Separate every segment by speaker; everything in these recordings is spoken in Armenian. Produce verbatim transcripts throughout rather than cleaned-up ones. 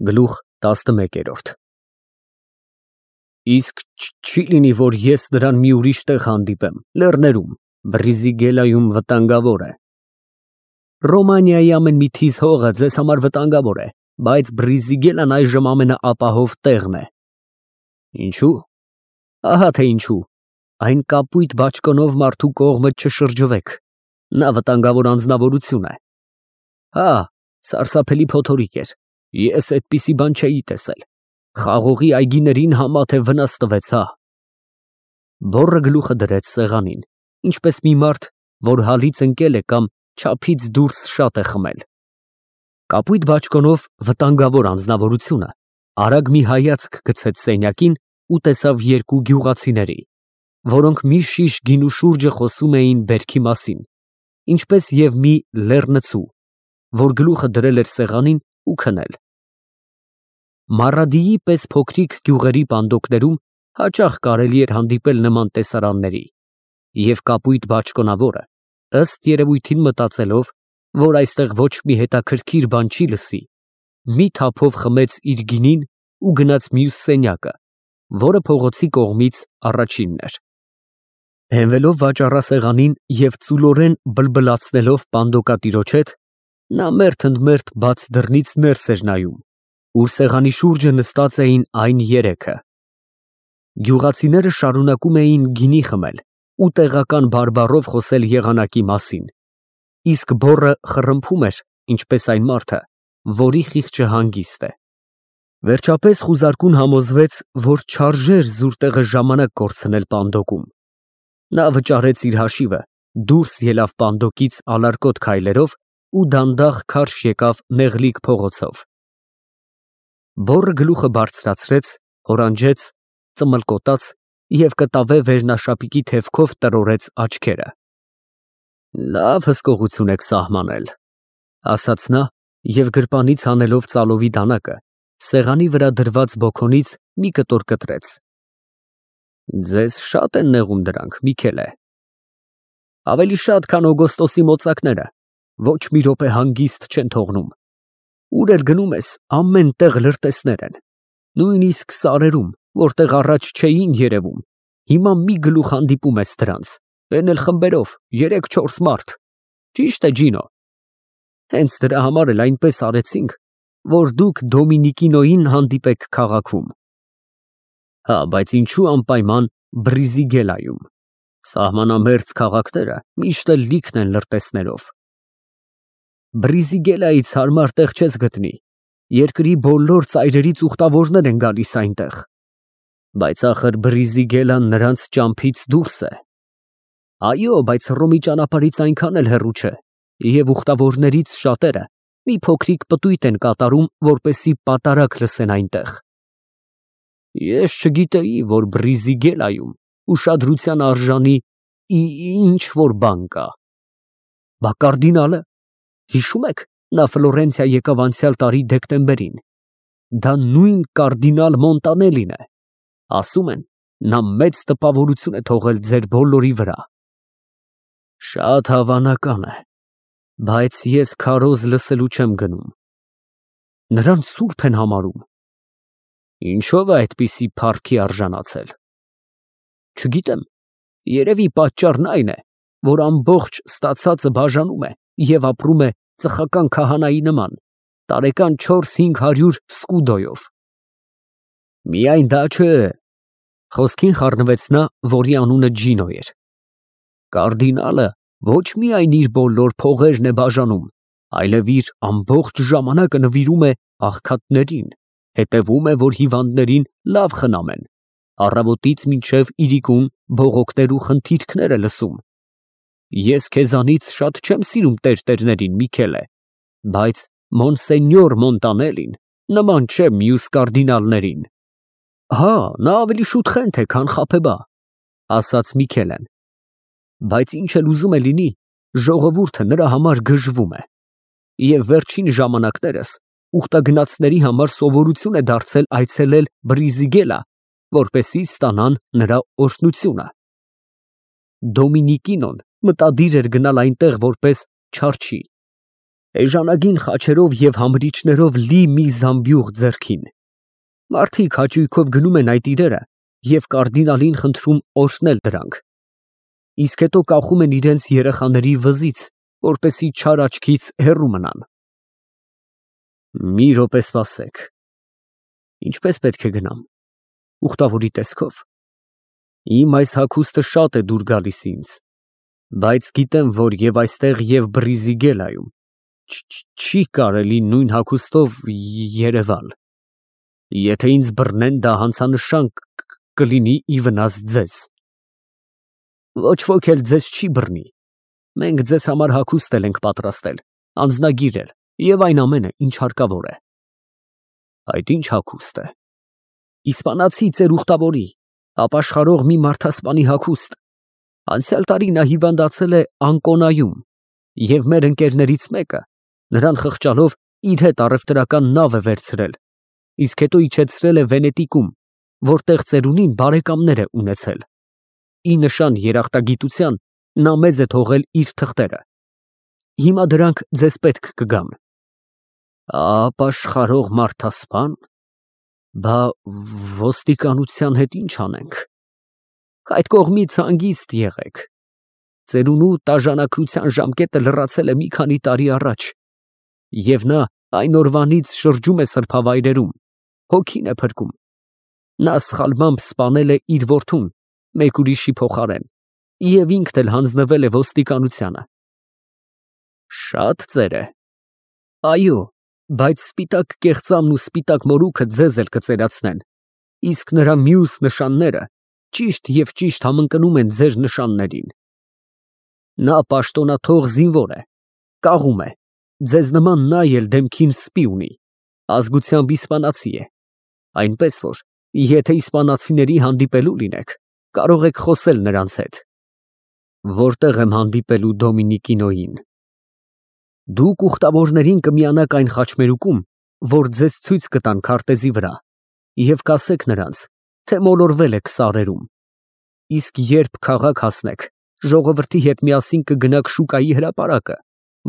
Speaker 1: Գլուխ տասնմեկ։ Իսկ չի լինի, որ ես նրան մի ուրիշ տեղ հանդիպեմ, լեռներում, Բրիզիգելայում վտանգավոր է։ Ռոմանիայի ամեն մի թիզ հողը ձեզ համար վտանգավոր է, բայց Բրիզիգելան այժմ ամենաապահով տեղն է։ Ինչու՞։ Ահա թե ինչու։ Այն կապույտ բաճկոնով մարդու կողմը չշրջվեք։ Նա վտանգավոր անձնավորություն է։ Հա, սարսափելի փոթորիկ էր։ Ես այդպիսի բան չէի տեսել։ Խաղողի այգիներին համա թե վնաս տվեց, հա։ Բոռը գլուխը դրեց սեղանին, ինչպես մի մարդ, որ հալից ընկել է կամ չափից դուրս շատ է խմել։ Կապույտ բաճկոնով վտանգավոր անձնավորությունը արագ մի հայացք գցեց սենյակին ու տեսավ երկու գյուղացիների, որոնք մի շիշ գինու շուրջը խոսում էին բերքի մասին, ինչպես և մի լեռնցու, որ գլուխը դրել էր սեղանին ու քնել։ Մարադիի պես փոքրիկ գյուղերի պանդոկներում հաճախ կարելի էր հանդիպել նման տեսարանների, և կապույտ բաճկոնավորը, ըստ երևույթին մտածելով, որ այստեղ ոչ մի հետաքրքիր բան չի լսի, մի թափով խմեց իր գինին ու գնաց մյուս սենյակը, որը փողոցի կողմից առաջինն էր։ Հենվելով վաճառասեղանին և ծուլորեն բլբլացնելով պանդոկատիրոջ հետ, նա մերթ ընդ մերթ բաց դռնից ներս էր նայում, ուր սեղանի շուրջը նստած էին այն երեքը։ Գյուղացիները շարունակում էին գինի խմել ու տեղական բարբառով խոսել եղանակի մասին, իսկ բոռը խռմփում էր, ինչպես այն մարդը, որի խիղճը հանգիստ է։ Վերջապես խուզարկուն համոզվեց, որ չարժեր զուր տեղը ժամանակ կորցնել պանդոկում։ Նա վճարեց իր հաշիվը, դուրս ելավ պանդոկից ալարկոտ քայլերով ու դանդաղ քարշ եկավ նեղլիկ փողոցով։ Բոռը գլուխը բարձրացրեց, հորանջեց, ծմլկոտաց և կտավե վերնաշապիկի թևքով տրորեց աչքերը։ Լավ հսկողություն եք սահմանել, ասաց նա և գրպանից հանելով ծալովի դանակը, սեղանի վրա դրված բոքոնից մի կտոր կտրեց։ Ձեզ շատ են նեղում դրանք, Միքելե։ Ավելի շատ, քան օգոստոսի մոծակները, ոչ մի րոպե հանգիստ չեն թողնում։ Ուր էլ գնում ես, ամեն տեղ լրտեսներ են, նույնիսկ սարերում, որտեղ առաջ չէին երևում, հիմա մի գլուխ հանդիպում ես դրանց, էն էլ խմբերով, երեք֊չորս մարդ։ Ճիշտ է, Ջինո։ Հենց դրա համար էլ այնպես արեցինք, որ դուք Դոմինիկինոյին հանդիպեք քաղաքում։ Հա, բայց ինչու անպայման Բրիզիգելայում։ Սահմանամերձ քաղաքները միշտ էլ լիքն են լրտեսներով։ Բրիզիգելայից հարմար տեղ չես գտնի, երկրի բոլոր ծայրերից ուխտավորներ են գալիս այնտեղ։ Բայց ախր Բրիզիգելան նրանց ճամփից դուրս է։ Այո, բայց Հռոմի ճանապարհից այնքան էլ հեռու չէ, և ուխտավորներից շատերը մի փոքրիկ պտույտ են կատարում, որպեսզի պատարագ լսեն այնտեղ։ Ես չգիտեի, որ Բրիզիգելայում ուշադրության արժանի ինչ֊որ բան կա։ Բա կարդինալը, հիշո՞ւմ եք, նա Ֆլորենցիա եկավ անցյալ տարի դեկտեմբերին։ Դա նույն կարդինալ Մոնտանելին է։ Ասում են, նա մեծ տպավորություն է թողել ձեր բոլորի վրա։ Շատ հավանական է, բայց ես քարոզ լսելու չեմ գնում։ Նրան սուրբ են համարում։ Ինչո՞վ է այդպիսի փառքի արժանացել։ Չգիտեմ, երևի պատճառն այն է, որ ամբողջ ստացածը բաժանում է և ապրում է ծխական քահանայի նման, տարեկան չորս֊հինգ հարյուր սկուդոյով։ Միայն դա չէ, խոսքին խառնվեց նա, որի անունը Ջինո էր։ Կարդինալը ոչ միայն իր բոլոր փողերն է բաժանում, այլև իր ամբողջ ժամանակը նվիրում է աղքատներին, հետևում է, որ հիվանդներին լավ խնամեն, առավոտից մինչև իրիկուն բողոքներ ու խնդիրքներ է լսում։ Ես քեզանից շատ չեմ սիրում տերտերներին, Միքելե, բայց Մոնսենյոր Մոնտանելին նման չէ մյուս կարդինալներին։ Հա, նա ավելի շուտ խենթ է, քան խաբեբա, ասաց Միքելեն, բայց ինչ էլ ուզում է լինի, ժողովուրդը նրա համար գժվում է, և վերջին ժամանակներս ուխտագնացների համար սովորություն է դարձել այցելել Բրիզիգելա, որպեսզի ստանան նրա օրհնությունը։ Դոմինիկինոն մտադիր էր գնալ այնտեղ որպես չարչի։ Էժանագին խաչերով և համրիչներով լի մի զամբյուղ ձեռքին։ Մարդիկ հաճույքով գնում են այդ իրերը և կարդինալին խնդրում օրհնել դրանք, իսկ հետո կախում են իրենց երեխաների վզից, որպեսզի չար աչքից հեռու մնան։ Մի րոպե սպասեք, ինչպե՞ս պետք է գնամ, ուխտավորի տեսքով։ Իմ այս հագուստը շատ է դուր գալիս ինձ, բայց գիտեմ, որ և այստեղ, և Բրիզիգելայում չի կարելի նույն հագուստով երևալ։ Եթե ինձ բռնեն, դա հանցանշան կլինի ի վնաս ձեզ։ Ոչ ոք էլ ձեզ չի բռնի։ Մենք ձեզ համար հագուստ ենք պատրաստել, անձնագիր էլ և այն ամենը, ինչ հարկավոր է։ Այդ ի՞նչ հագուստ է։ Իսպանացի ծեր ուխտավորի, ապաշխարող մի մարդասպանի հագուստ։ Անցյալ տարի նա հիվանդացել է Անկոնայում, և մեր ընկերներից մեկը, նրան խղճալով, իր հետ առևտրական նավ է վերցրել, իսկ հետո իջեցրել է Վենետիկում, որտեղ ծերունին բարեկամներ է ունեցել։ Ի նշան երախտագիտության նա մեզ է թողել իր թղթերը։ Հիմա դրանք ձեզ պետք կգան։ Ապաշխարող մարդասպան։ Բա ոստիկանության հետ ի՞նչ անենք։ Այդ կողմից հանգիստ եղեք։ Ծերունու տաժանակրության ժամկետը լրացել է մի քանի տարի առաջ, և նա այն օրվանից շրջում է սրբավայրերում, հոգին է փրկում։ Նա սխալմամբ սպանել է իր որդուն մեկ ուրիշի փոխարեն և ինքն էլ հանձնվել է ոստիկանությանը։ Շատ ծեր է։ Այո, բայց սպիտակ կեղծամն ու սպիտակ մորուքը ձեզ էլ կծերացնեն, իսկ նրա մյուս նշանները ճիշտ և ճիշտ համընկնում են ձեր նշաններին։ Նա պաշտոնաթող զինվոր է, կաղում է, ձեզ նման նա էլ դեմքին սպի ունի, ազգությամբ իսպանացի է, այնպես որ եթե իսպանացիների հանդիպելու լինեք, կարող եք խոսել նրանց հետ։ Որտե՞ղ եմ հանդիպելու Դոմինիկինոյին։ Դուք ուխտավորներին կմիանաք այն խաչմերուկում, որ ձեզ ցույց կտան քարտեզի վրա, և կասեք նրանց, թե մոլորվել եք սարերում, իսկ երբ քաղաք հասնեք, ժողովրդի հետ միասին կգնաք շուկայի հրապարակը,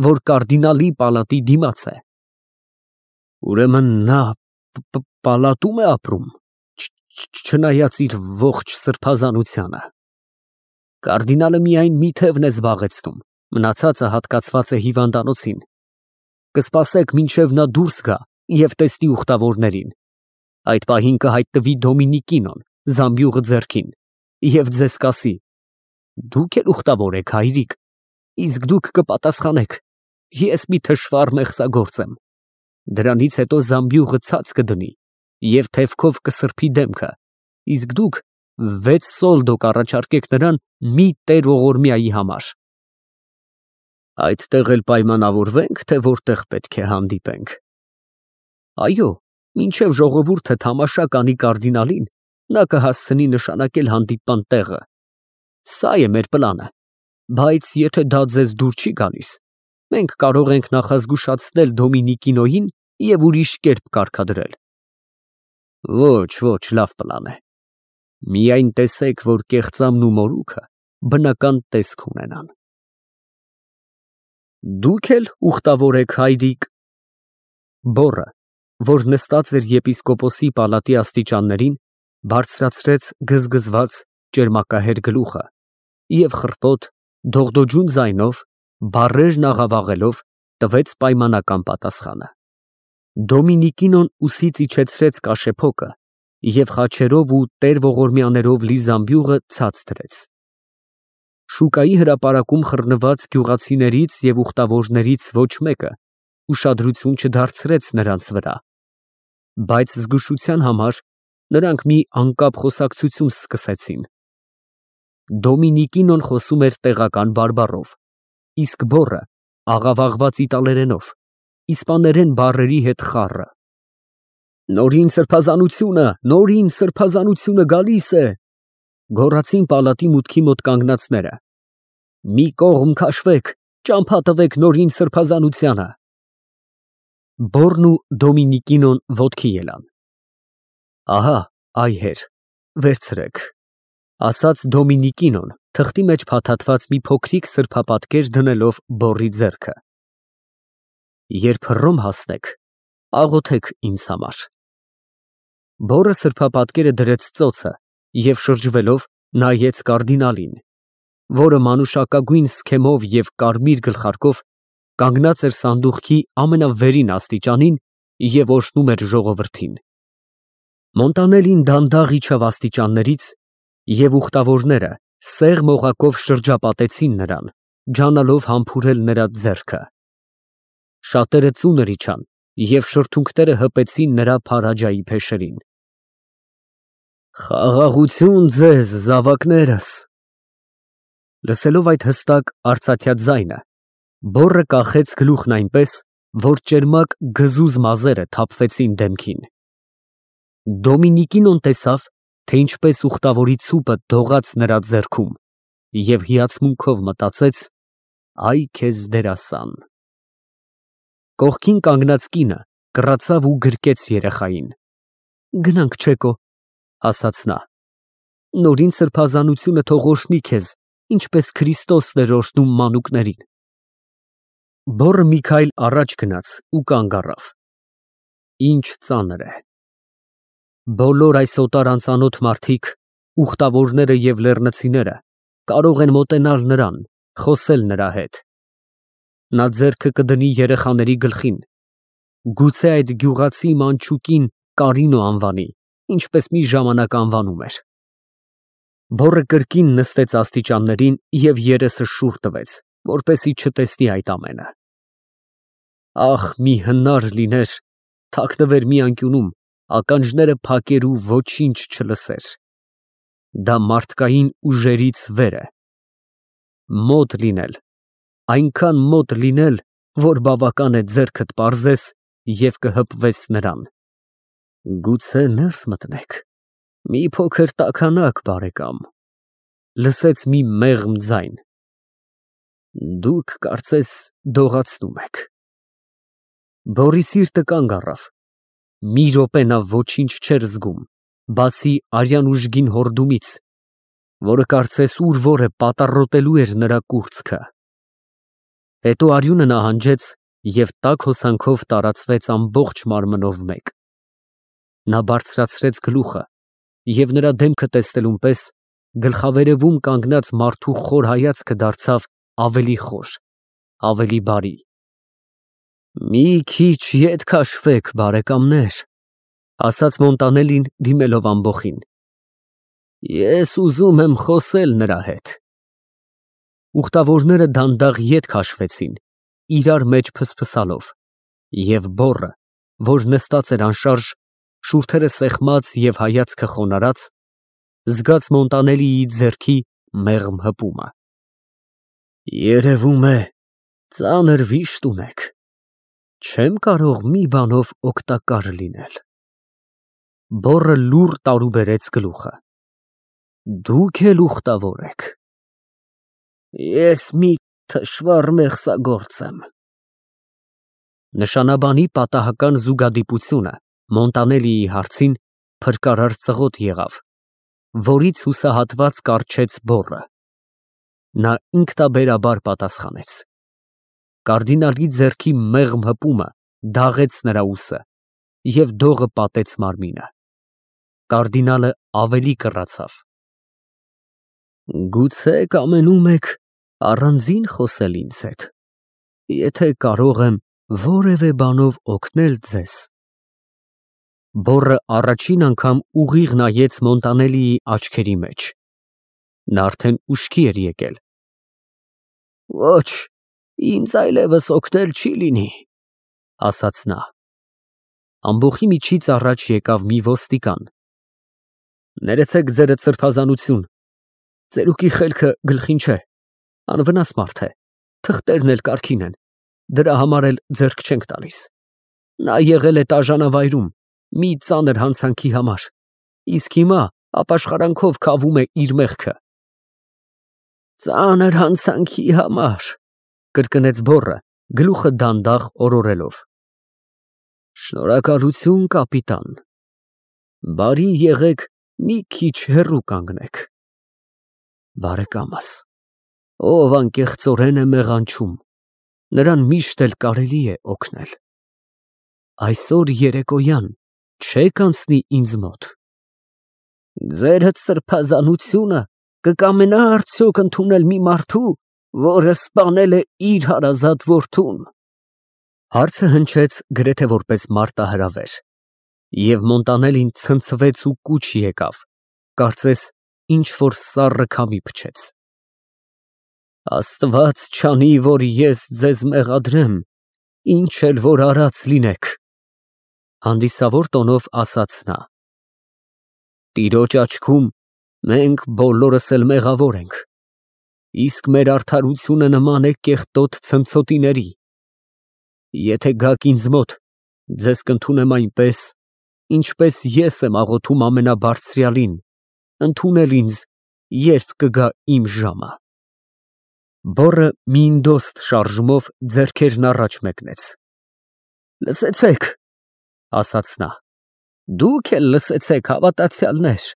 Speaker 1: որ կարդինալի պալատի դիմաց է։ Ուրեմն նա պալատում է ապրում, չնայած իր ողջ սրբազանությանը։ Կարդինալը միայն մի թևն է զբաղեցնում, մնացածը հատկացված է հիվանդանոցին։ Կսպասեք, մինչև նա դուրս գա և տեսնի ուխտավորներին։ Այդ պահին կհայտնվի Դոմինիկինոն զամբյուղը ձեռքին և ձեզ կասի. «Դուք էլ ուխտավոր եք, հայրիկ», իսկ դուք կպատասխանեք. «Ես մի թշվառ մեղսագործ եմ»։ Դրանից հետո զամբյուղը ցած կդնի և թևքով կսրբի դեմքը, իսկ դուք վեց սոլդո կառաջարկեք նրան մի տեր ողորմյայի համար։ Այդտեղ էլ պայմանավորվե՞նք, թե որտեղ պետք է հանդիպենք։ Այո, մինչև ժողովուրդը թամաշա կանի կարդինալին, նա կհասցնի նշանակել հանդիպման տեղը։ Սա է մեր պլանը, բայց եթե դա ձեզ դուր չի գալիս, մենք կարող ենք նախազգուշացնել Դոմինիկինոյին և ուրիշ կերպ կարգադրել։ Ոչ, ոչ, լավ պլան է։ Միայն տեսեք, որ կեղծամն ու մորուքը բնական տեսք ունենան։ Դուք էլ ուխտավոր եք, հայրիկ։ Բոռը, որ նստած էր եպիսկոպոսի պալատի աստիճաններին, բարձրացրեց գզգզված ճերմակահեր գլուխը և խռպոտ, դողդոջուն ձայնով, բառերն աղավաղելով, տվեց պայմանական պատասխանը։ Դոմինիկինոն ուսից իջեցրեց կաշեփոկը և խաչերով ու տեր֊ողորմյաներով լի զամբյուղը ցած դրեց։ Շուկայի հրապարակում խռնված գյուղացիներից և ուխտավորներից ոչ մեկը ուշադրություն չդարձրեց նրանց վրա, բայց զգուշության համար նրանք մի անկապ խոսակցություն սկսեցին։ Դոմինիկինոն խոսում էր տեղական բարբառով, իսկ բոռը աղավաղված իտալերենով, իսպաներեն բառերի հետ խառը։ Նորին սրբազանությունը, նորին սրբազանությունը գալիս է, գոռացին պալատի մուտքի մոտ կանգնածները։ Մի կողմ քաշվեք, ճամփա տվեք նորին սրբազանությանը։ Բոռն ու Դոմինիկինոն ոտքի ելան։ Ահա, այ հեր, վերցրեք, ասաց Դոմինիկինոն, թղթի մեջ փաթաթված մի փոքրիկ սրբապատկեր դնելով բոռի ձեռքը։ Երբ Հռոմ հասնեք, աղոթեք ինձ համար։ Բոռը սրբապատկերը դրեց ծոցը և շրջվելով նայեց կարդինալին, որը մանուշակագույն սքեմով և կարմիր գլխարկով կանգնած էր սանդուղքի ամենավերին աստիճանին և օրհնում էր ժողովրդին։ Մոնտանելին դանդաղ իջավ աստիճաններից, և ուխտավորները սեղմ օղակով շրջապատեցին նրան, ջանալով համբուրել նրա ձեռքը։ Շատերը ծունր իջան և շրթունքները հպեցին նրա փարաջայի փեշերին։ Խաղաղություն ձեզ, զավակներս։ Լսելով այդ հստակ արծաթյա ձայնը, բոռը կախեց գլուխն այնպես, որ ճերմակ գզուզ մազերը թափվեցին դեմքին։ Դոմինիկինոն տեսավ, թե ինչպես ուխտավորի ցուպը դողաց նրա ձեռքում և հիացմունքով մտածեց. «Այ քեզ դերասան»։ Կողքին կանգնած կինը կռացավ ու գրկեց երեխային։ «Գնանք, Չեկո», ասաց նա։ «Նորին սրբազանությունը թող օրհնի քեզ, ինչպես Քրիստոսն էր օրհնում մանուկներին»։ Բոռը մի քայլ առաջ գնաց ու կանգ առավ։ Ինչ ծանր է։ Բոլոր այս օտար անծանոթ մարդիկ, ուխտավորները և լեռնցիները կարող են մոտենալ նրան, խոսել նրա հետ։ Նա ձեռքը կդնի երեխաների գլխին, գուցե այդ գյուղացի մանչուկին Կարինո անվանի, ինչպես մի ժամանակ անվանում էր։ Բոռը կրկին նստեց աստիճաններին և երեսը շուռ տվեց, որպեսզի չտեսնի այդ ամենը։ Ահ, մի հնար լիներ, թաքնվեր մի անկյունում, ականջները փակեր ու ոչինչ չլսեր։ Դա մարդկային ուժերից վեր է։ Մոտ լինել, այնքան մոտ լինել, որ բավական է ձեռքդ պարզես և կհպվես նրան։ Գուցե ներս մտնեք, մի փոքր տաքանաք, բարեկամ, լսեց մի մեղմ ձայն։ Դուք կարծես դողացնում եք։ Բոռի սիրտը կանգ առավ։ Մի րոպե նա ոչինչ չէր զգում, բացի արյան ուժգին հորդումից, որը կարծես ուր որ է պատառոտելու էր նրա կուրծքը։ Հետո արյունը նահանջեց և տաք հոսանքով տարածվեց ամբողջ մարմնով մեկ։ Նա բարձրացրեց գլուխը և նրա դեմքը տեսնելուն պես գլխավերևում կանգնած մարդու խոր հայացքը դարձավ ավելի խոր, ավելի բարի։ Մի քիչ ետ քաշվեք, բարեկամներ, ասաց Մոնտանելին, դիմելով ամբոխին։ Ես ուզում եմ խոսել նրա հետ։ Ուխտավորները դանդաղ ետ քաշվեցին, իրար մեջ փսփսալով, և բոռը, որ նստած էր անշարժ, շուրթերը սեղմած և հայացքը խոնարհած, զգաց Մոնտանելիի ձեռքի մեղմ հպումը։ Երևում է, ծանր վիշտ ունեք։ Չեմ կարող մի բանով օգտակար լինել։ Բոռը լուռ տարուբերեց գլուխը։ Դուք էլ ուխտավոր եք։ Ես մի թշվառ մեղսագործ եմ։ Նշանաբանի պատահական զուգադիպությունը Մոնտանելիի հարցին փրկարար ծղոտ եղավ, որից հուսահատված կառչեց բոռը։ Նա ինքնաբերաբար պատասխանեց։ Կարդինալի ձեռքի մեղմ հպումը դաղեց նրա ուսը, և դողը պատեց մարմինը։ Կարդինալը ավելի կռացավ։ Գուցե կամենում եք առանձին խոսել ինձ հետ, եթե կարող եմ որևէ բանով օգնել ձեզ։ Բոռը առաջին անգամ ուղիղ նայեց Մոնտանելիի աչքերի մեջ։ Նա արդեն ուշքի էր եկել։ Ոչ, ինձ այլևս օգնել չի լինի, ասաց նա։ Ամբոխի միջից առաջ եկավ մի ոստիկան։ Ներեցեք ձերդ սրբազանություն, ծերուկի խելքը գլխին չէ, անվնաս մարդ է, թղթերն էլ կարգին են, դրա համար էլ ձեռք չենք տալիս։ Նա եղել է տաժանավայրում մի ծանր հանցանքի համար, իսկ հիմա ապաշխարանքով քավում է իր մեղքը։ Ծանր հանցանքի համար, կրկնեց բոռը, գլուխը դանդաղ օրորելով։ Շնորհակալություն, կապիտան։ Բարի եղեք մի քիչ հեռու կանգնեք։ Բարեկամս, ով անկեղծորեն է մեղանչում, նրան միշտ էլ կարելի է օգնել։ Այսօր երեկոյան չեք անցնի ինձ մոտ։ Ձերդ սրբազանությունը կկամենա արդյոք ընդունել մի մարդու, որը սպանել է իր հարազատ որդուն։ Հարցը հնչեց գրեթե որպես մարտահրավեր, և Մոնտանելին ցնցվեց ու կուչ եկավ, կարծես ինչ-որ սառը քամի փչեց։ Աստված չանի, որ ես ձեզ մեղադրեմ, ինչ էլ որ արած լինեք, հանդիսավոր տոնով ասաց նա։ Տիրոջ աչքում մենք բոլորս էլ մեղավոր ենք, իսկ մեր արդարությունը նման է կեղտոտ ցնցոտիների։ Եթե գաք ինձ մոտ, ձեզ կընդունեմ այնպես, ինչպես ես եմ աղոթում ամենաբարձրյալին, ընդունել ինձ, երբ կգա իմ ժամը։ Բոռը մի ինդոստ շարժումով ձեռքերն առաջ մեկնեց։ Լսեցեք, ասաց նա, դուք էլ լսեցեք, հավատացյալներ,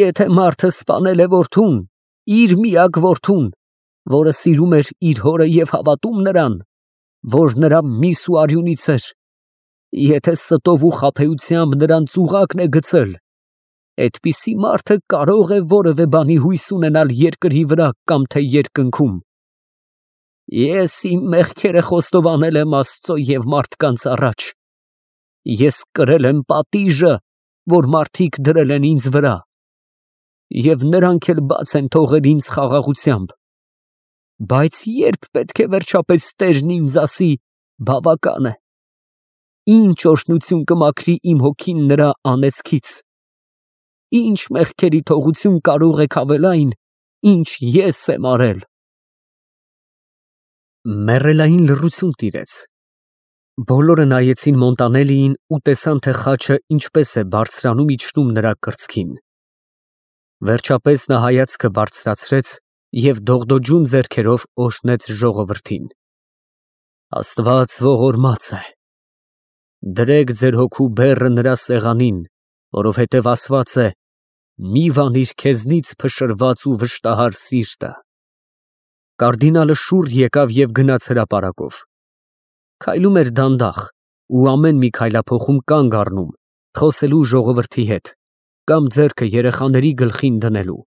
Speaker 1: եթե մարդը սպանել է որդուն, իր միակ որդուն, որը սիրում էր իր հորը և հավատում նրան, որ նրա միս ու արյունից էր, եթե ստով ու խաբեությամբ նրան ծուղակն է գցել, այդպիսի մարդը կարող է որևէ բանի հույս ունենալ երկրի վրա կամ թե երկնքում։ Ես իմ մեղքերը խոստովանել եմ Աստծո և մարդկանց առաջ, ես կրել եմ պատիժը, որ մարդիկ դրել են ինձ վրա, և նրանք էլ բաց են թողել ինձ խաղաղությամբ, բայց ե՞րբ պետք է վերջապես Տերն ինձ ասի. բավական է, ինչ օրհնություն կմաքրի իմ հոգին նրա անեծքից, ինչ մեղքերի թողություն կարող է քավել այն, ինչ ես եմ արել։ Մեռելային լռություն տիրեց։ Բոլորը նայեցին Մոնտանելիին ու տեսան, թե խաչը ինչպես է բարձրանում-իջնում նրա կրծքին։ Վերջապես նա հայացքը բարձրացրեց և դողդոջուն ձեռքերով օրհնեց ժողովրդին։ Աստված ողորմած է։ Դրեք ձեր հոգու բեռը նրա սեղանին, որովհետև ասված է. «Մի վանիր քեզնից փշրված ու վշտահար սիրտը»։ Կարդինալը շուռ եկավ և գնաց հրապարակով։ Քայլում էր դանդաղ ու ամեն մի քայլափոխում կանգ առնում, խոսելու ժողովրդի հետ կամ ձեռքը երեխաների գլխին դնելու։